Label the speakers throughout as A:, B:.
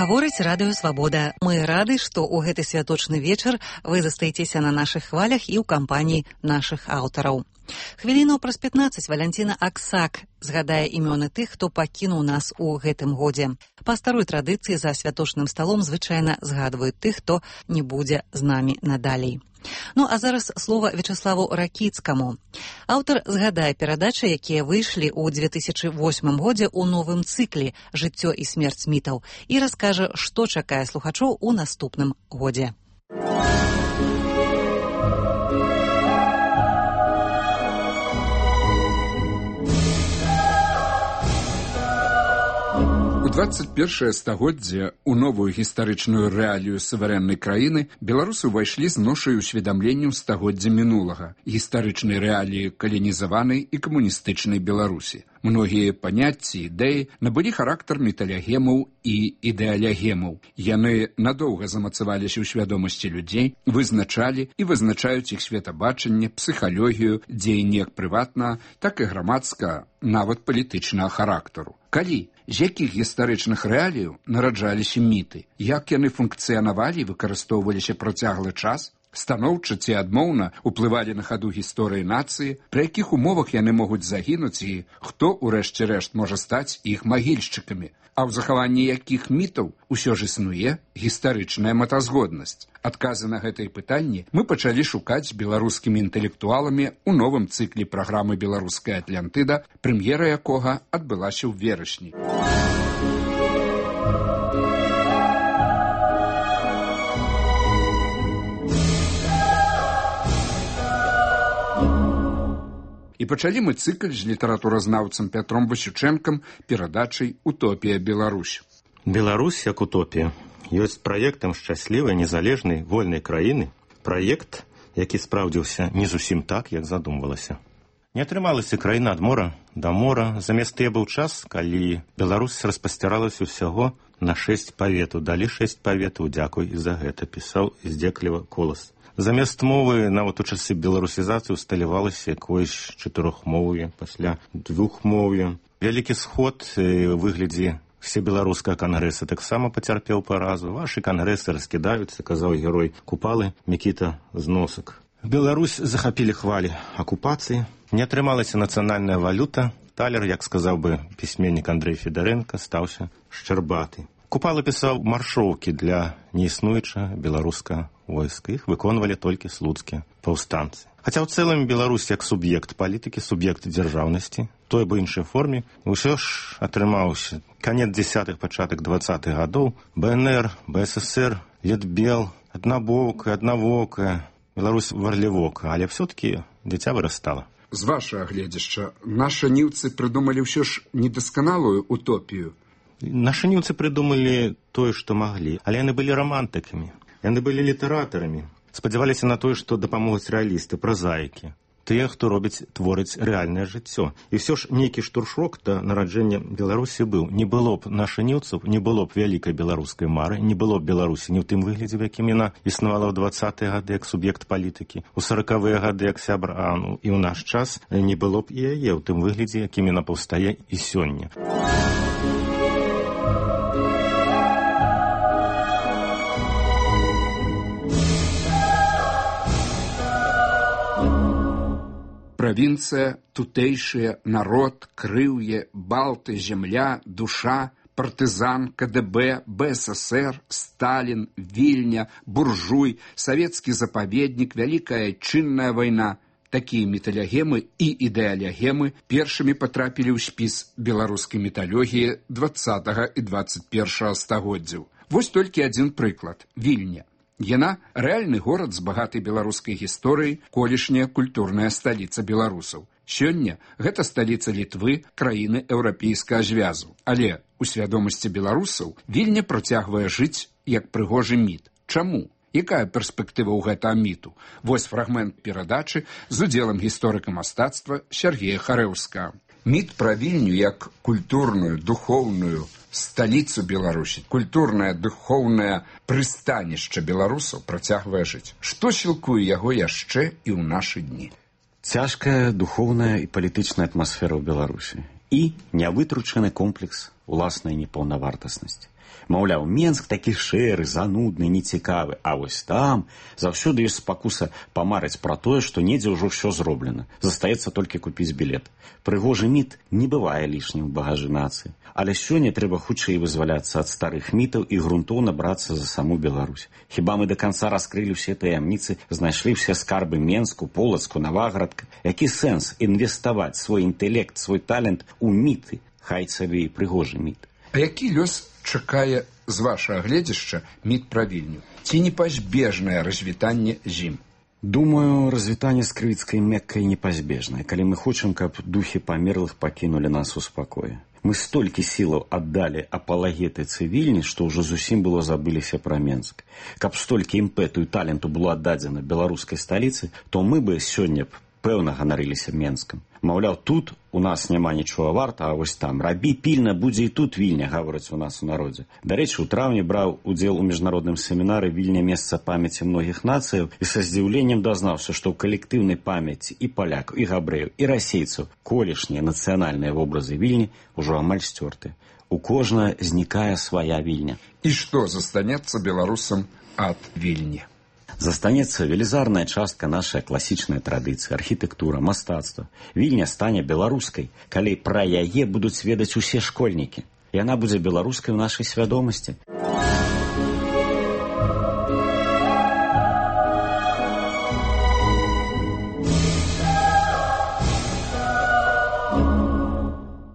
A: Гаворыць радыё Свабода. Мы рады, што ў гэты святочны вечар вы застаецеся на нашых хвалях і ў кампаніі нашых аўтараў. Хвіліну праз 15 Валянціна Аксак згадае імёны тых, хто пакінуў нас у гэтым годзе. Па старой традыцыі за святочным сталом звычайна згадваюць тых, хто не будзе з намі надалей. Ну, а зараз слова Вячаславу Ракіцкаму. Аўтар згадае перадачы, якія выйшлі ў 2008 годзе ў новым цыкле «Жыццё і смерць мітаў» і раскажа, што чакае слухачоў у наступным годзе.
B: У 21 стагоддзе у новую гістарычную рэалію суверэннай краіны беларусы ўвайшлі з ношай усведамленняў стагоддзя мінулага, гістарычнай рэаліі каланізаванай і камуністычнай Беларусі. Многія паняцці, ідэі набылі характар металягемаў і ідэалягемаў. Яны надоўга замацаваліся ў свядомасці людзей, вызначалі і вызначаюць іх светабачанне, псіхалогію, дзеянні як прыватнага, так і грамадскага, нават палітычнага характару. Калі? З якіх гістарычных рэаліяў нараджаліся міты? Як яны функцыянавалі і выкарыстоўваліся працяглы час? Станоўча ці адмоўна ўплывалі на хаду гісторыі нацыі? Пры якіх умовах яны могуць загінуць і хто, у рэшце рэшт, можа стаць іх магільшчыкамі? А ў захаванні якіх мітаў усё ж існуе гістарычная мэтазгоднасць? Адказы на гэтыя пытанні мы пачалі шукаць з беларускімі інтэлектуаламі ў новым цыкле праграмы «Беларуская Атлантыда», прэм'ера якога адбылася ў верасні. І пачалі мы цыкль з літаратуразнаўцам Пятром Васючэнкам перадачай «Утопія Беларусь».
C: Беларусь як утопія ёсць праектам шчаслівай, незалежнай, вольнай краіны. Праект, які спраўдзіўся не зусім так, як задумвалася. Не атрымалася краіна ад мора да мора. Замест тыя быў час, калі Беларусь распасціралася ўсяго на 6 паветаў. Далі 6 паветаў, дзякуй і за гэта, пісаў здзекліва Колас. Замест мовы нават у часы беларусізацыі усталявалася якоюсь чатырохмоўе, пасля двухмоўе. Вялікі сход у выглядзе всебеларускага кангрэса таксама пацярпеў паразу. Вашы кангрэсы раскідаюцца, казаў герой Купалы Мікіта Зносак. Беларусь захапілі хвалі акупацыі. Не атрымалася нацыянальная валюта. Талер, як сказаў бы пісьменнік Андрэй Федарэнка, стаўся шчарбаты. Купала пісаў маршоўкі для неіснуючага беларускага войска. Іх выконвалі толькі слуцкія паўстанцы. Хаця ў цэлым Беларусь як суб'ект палітыкі, суб'ект дзяржаўнасці, той бы іншай форме, усё ж атрымаўся канец 10-х, пачатак 20-х гадоў. БНР, БССР, Летбел, аднавокая, Беларусь варлівока, але все-таки дзіця вырастала.
B: З вашага гледзяшча, нашы ніўцы прыдумалі ўсё ж недасканалую утопію.
C: Нашы ніўцы прыдумалі тое, што маглі, але яны былі рамантыкамі, яны былі літаратарамі, спадзяваліся на тое, што дапамогуць рэалісты, празаікі, тыя, хто творыць рэальнае жыццё. І ўсё ж нейкі штуршок да нараджэння Беларусі быў. Не было б нашаніўцаў, не было б вялікай беларускай мары, не было б Беларусі ні ў тым выглядзе, в якім яна існавала ў 20-е гады як суб'ект палітыкі, у 40-е гады як сябр АНУ, і ў наш час не было б і яе ў тым выглядзе, якім яна паўстае і сёння.
B: Правінцыя, тутэйшыя, народ, крыўе, балты, зямля, душа, партызан, КДБ, БССР, Сталін, Вільня, буржуй, савецкі запаведнік, вялікая чынная вайна. Такія металягемы і ідэалягемы першымі патрапілі ў спіс беларускай металогіі 20 і 21 стагоддзяў. Вось толькі адзін прыклад – Вільня. Яна рэальны горад з багатай беларускай гісторыяй, колішняя культурная сталіца беларусаў. Сёння гэта сталіца Літвы, краіны еўрапейскага звязу. Але у свядомасці беларусаў Вільня працягвае жыць як прыгожы міт. Чаму? Якая перспектыва ў гэтага міту? Вось фрагмент перадачы з удзелам гісторыка мастацтва Сергея Харэўскага. Міт пра Вільню як культурную, духоўную сталіцу Беларусі, культурнае, духоўнае прыстанішча беларусаў працягвае жыць. Што сілкуе яго яшчэ і ў нашы дні?
D: Цяжкая духоўная і палітычная атмасфера ў Беларусі і нявытручаны комплекс уласнай непаўнавартаснасці. Маўляў, Менск такі шэры, занудны, нецікавы, а вось там заўсёды ёсць спакуса памарыць пра тое, што недзе ўжо ўсё зроблена. Застаецца толькі купіць білет. Прыгожы міт не бывае лішнім у багажы нацыі. Але сёння трэба хутчэй вызваляцца ад старых мітаў і грунтоўна брацца за саму Беларусь. Хіба мы да канца раскрылі ўсе таямніцы, знайшлі ўсе скарбы Менску, Полацку, Наваградка? Які сэнс інвеставаць свой інтэлект, свой талент у міты, хай сабе і прыгожы міт?
B: А які лёс чакае з вашага гледзяшча міт пра Вільню? Ці непазбежнае развітанне з ім?
D: Думаю, развітанне з крывіцкай Меккай непазбежнае, калі мы хочам, каб духі памерлых пакінулі нас у спакоі. Мы столькі сілаў аддалі апалагетыцы Вільні, што ўжо зусім было забыліся пра Менск. Каб столькі імпэту і таленту было аддадзена беларускай сталіцы, то мы бы сёння пэўна ганарыліся Менскам. Маўляў, тут у нас няма нічога варта, а вось там рабі пільна, будзе і тут Вільня, гавораць у нас у народзе. Дарэчы, у траўні браў удзел у міжнародным семінары Вільня месца памяці многіх нацыяў і са здзіўленнем дазнаўся, што ў калектыўнай памяці і палякаў, і габрэяў, і расейцаў колішнія нацыянальныя вобразы Вільні ўжо амаль сцёрты. У кожнага знікае свая Вільня.
B: І што застанецца беларусам ад Вільні?
D: Застанецца велізарная частка нашай класічнай традыцыі, архітэктура, мастацтва. Вільня стане беларускай, калі пра яе будуць ведаць усе школьнікі. Яна будзе беларускай у нашай свядомасці.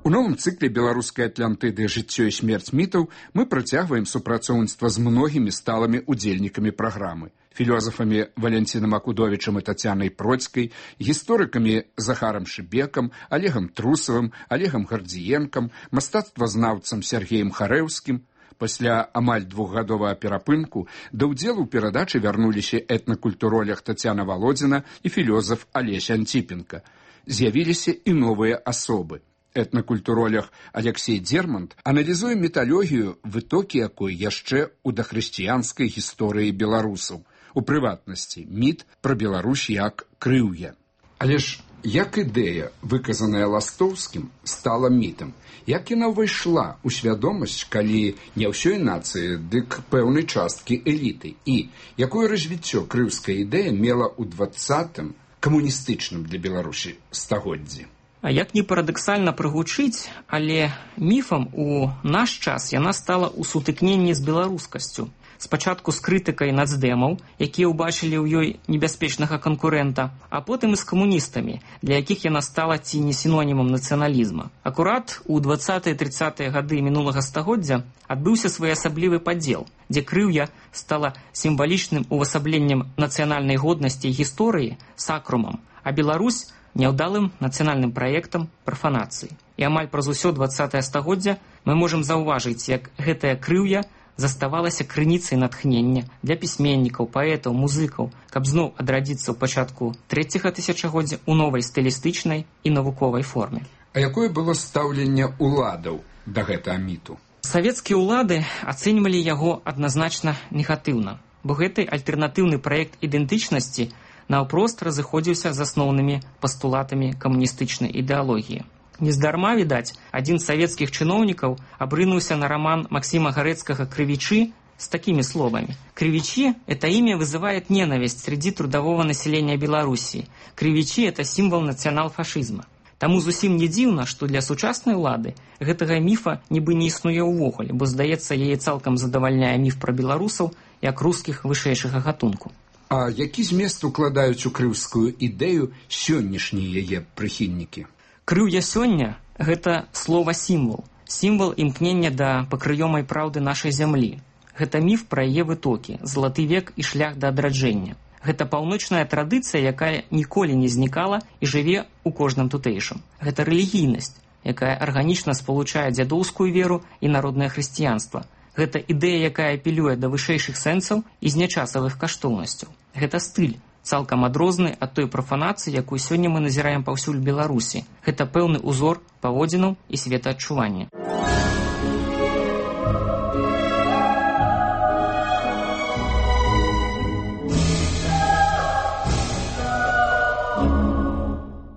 B: У новым цыкле беларускай Атлантыды «Жыццё і смерць мітаў» мы працягваем супрацоўніцтва з многімі сталымі удзельнікамі праграмы. Філёзафамі Валянцінам Акудовічам і Тацянай Процькай, гісторыкамі Захарам Шыбекам, Олегам Трусавым, Олегам Гардзіенкам, мастацтвазнаўцам Сергеем Харэўскім. Пасля амаль двухгадовага перапынку да ўдзелу ў перадачы вярнуліся этнакультуролог Тацяна Валодзіна і філёзаф Алесь Антипенко. З'явіліся і новыя асобы. Этнакультуролог Алексей Дермант аналізуе міталогію, вытокі якой яшчэ ў дахрысціянскай гісторыі беларусаў. У прыватнасці міт пра Беларусь як крыўе. Але ж як ідэя, выказаная Ластоўскім, стала мітам? Як яна ўвайшла ў свядомасць, калі не ўсёй нацыі, дык пэўнай часткі эліты? І якое развіццё крыўская ідэя мела ў 20-м камуністычным для Беларусі стагоддзі?
E: А як не парадаксальна прыгучыць, але міфам у наш час яна стала ў сутыкненні з беларускасцю. Спачатку з крытыкай нацдэмаў, якія ўбачылі ў ёй небяспечнага канкурэнта, а потым і з камуністамі, для якіх яна стала ці не сінонімам нацыяналізма. Акурат у 20-30-е гады мінулага стагоддзя адбыўся своеасаблівы падзел, дзе крыўя стала сімвалічным увасабленнем нацыянальнай годнасці і гісторыі, сакрумам, а Беларусь няўдалым нацыянальным праектам прафанацыі. І амаль праз усё 20-е стагоддзя мы можам заўважыць, як гэтая крыўя заставалася крыніцай натхнення для пісьменнікаў, паэтаў, музыкаў, каб зноў адрадзіцца ў пачатку 3-го тысячагоддзя ў новай стылістычнай і навуковай форме.
B: А якое было стаўленне ўладаў да гэтага міту?
E: Савецкія ўлады ацэньвалі яго адназначна негатыўна, бо гэты альтэрнатыўны праект ідэнтычнасці наўпрост разыходзіўся з асноўнымі пастулатамі камуністычнай ідэалогіі. Нездарма, відаць, адзін з савецкіх чыноўнікаў абрынуўся на роман Максима Гарэцкага «Кривичи» с такими словами. «Кривичи – это имя вызывает ненависть среди трудового населения Белоруссии. Кривичи – это символ национал-фашизма». Таму зусім не дзіўна, што для сучаснай улады гэтага міфа нібы не існуе ўвогуле, бо, здаецца, яе цалкам задавальняе міф пра беларусаў як рускіх вышэйшага гатунку.
B: А які змест укладаюць у крыўскую ідэю сённяшнія яе прыхільнікі?
E: Крыўя сёння – гэта слова-сімвал, сімвал імкнення да пакрыёмай праўды нашай зямлі. Гэта міф пра яе вытокі, залаты век і шлях да адраджэння. Гэта паўночная традыцыя, якая ніколі не знікала і жыве ў кожным тутэйшым. Гэта рэлігійнасць, якая арганічна спалучае дзядоўскую веру і народнае хрысціянства. Гэта ідэя, якая апелюе да вышэйшых сэнсаў і знячасавых каштоўнасцяў. Гэта стыль, цалкам адрозны ад той прафанацыі, якую сёння мы назіраем паўсюль Беларусі. Гэта пэўны узор паводзінаў і светаадчування.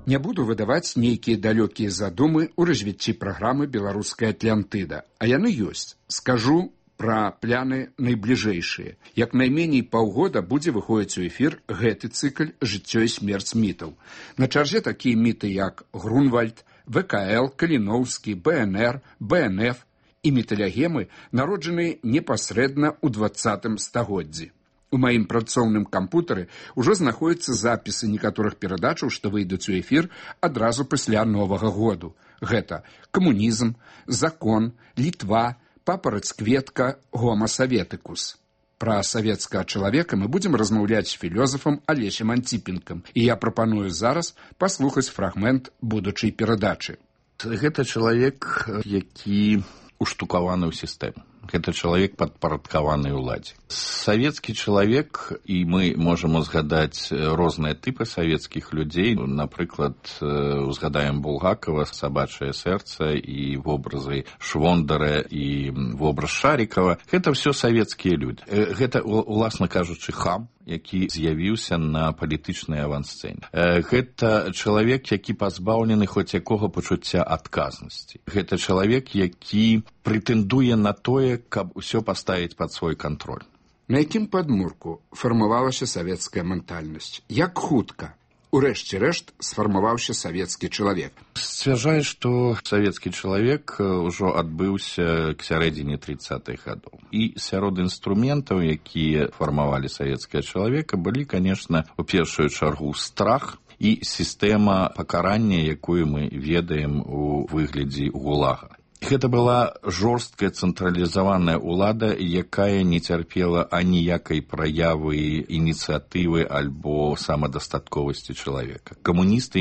B: Не буду выдаваць нейкія далёкія задумы ў развіцці праграмы «Беларуская Атлантыда», а яны ёсць. Скажу пра пляны найбліжэйшыя. Як найменей паўгода будзе выходзіць у эфір гэты цыкль «Жыццё і смерць мітаў». На чарзе такія міты, як Грунвальд, ВКЛ, Каліноўскі, БНР, БНФ і міталягемы, народжаныя непасрэдна ў 20 стагоддзі. У маім працоўным кампутары ўжо знаходзяцца запісы некаторых перадачаў, што выйдуць у эфір адразу пасля Новага году. Гэта камунізм, закон, Літва, папараць-кветка, гома саветыкус. Пра савецкага чалавека мы будзем размаўляць з філёзафам Алесем Антіпенкам, і я прапаную зараз паслухаць фрагмент будучай перадачы.
F: Гэта чалавек, які уштукаваны ў сістэму. Гэта чалавек падпарадкаваны ўладзе. Савецкі чалавек, і мы можам узгадаць розныя тыпы савецкіх людзей. Напрыклад, узгадаем Булгакова, «Сабачае сэрца» і вобразы Швондара і вобраз Шарікава. Гэта ўсё савецкія людзі. Гэта, уласна кажучы, хам, які з'явіўся на палітычнай авансцэне. Гэта чалавек, які пазбаўлены хоць якога пачуцця адказнасці. Гэта чалавек, які прэтэндуе на тое, каб усё паставіць пад свой кантроль.
B: На якім падмурку фармавалася савецкая ментальнасць? Як хутка, урэшце рэшт, сфармаваўся савецкі чалавек?
F: Сцвярджае, што савецкі чалавек ужо адбыўся к сярэдзіне 30-х гадоў. І сярод інструментаў, якія фармавалі савецкага чалавека, былі, канешне, у першую чаргу страх і сістэма пакарання, якую мы ведаем у выглядзе гулага. Гэта была жорсткая цэнтралізаваная ўлада, якая не цярпела аніякай праявы ініцыятывы альбо самадастатковасці чалавека. Камуністы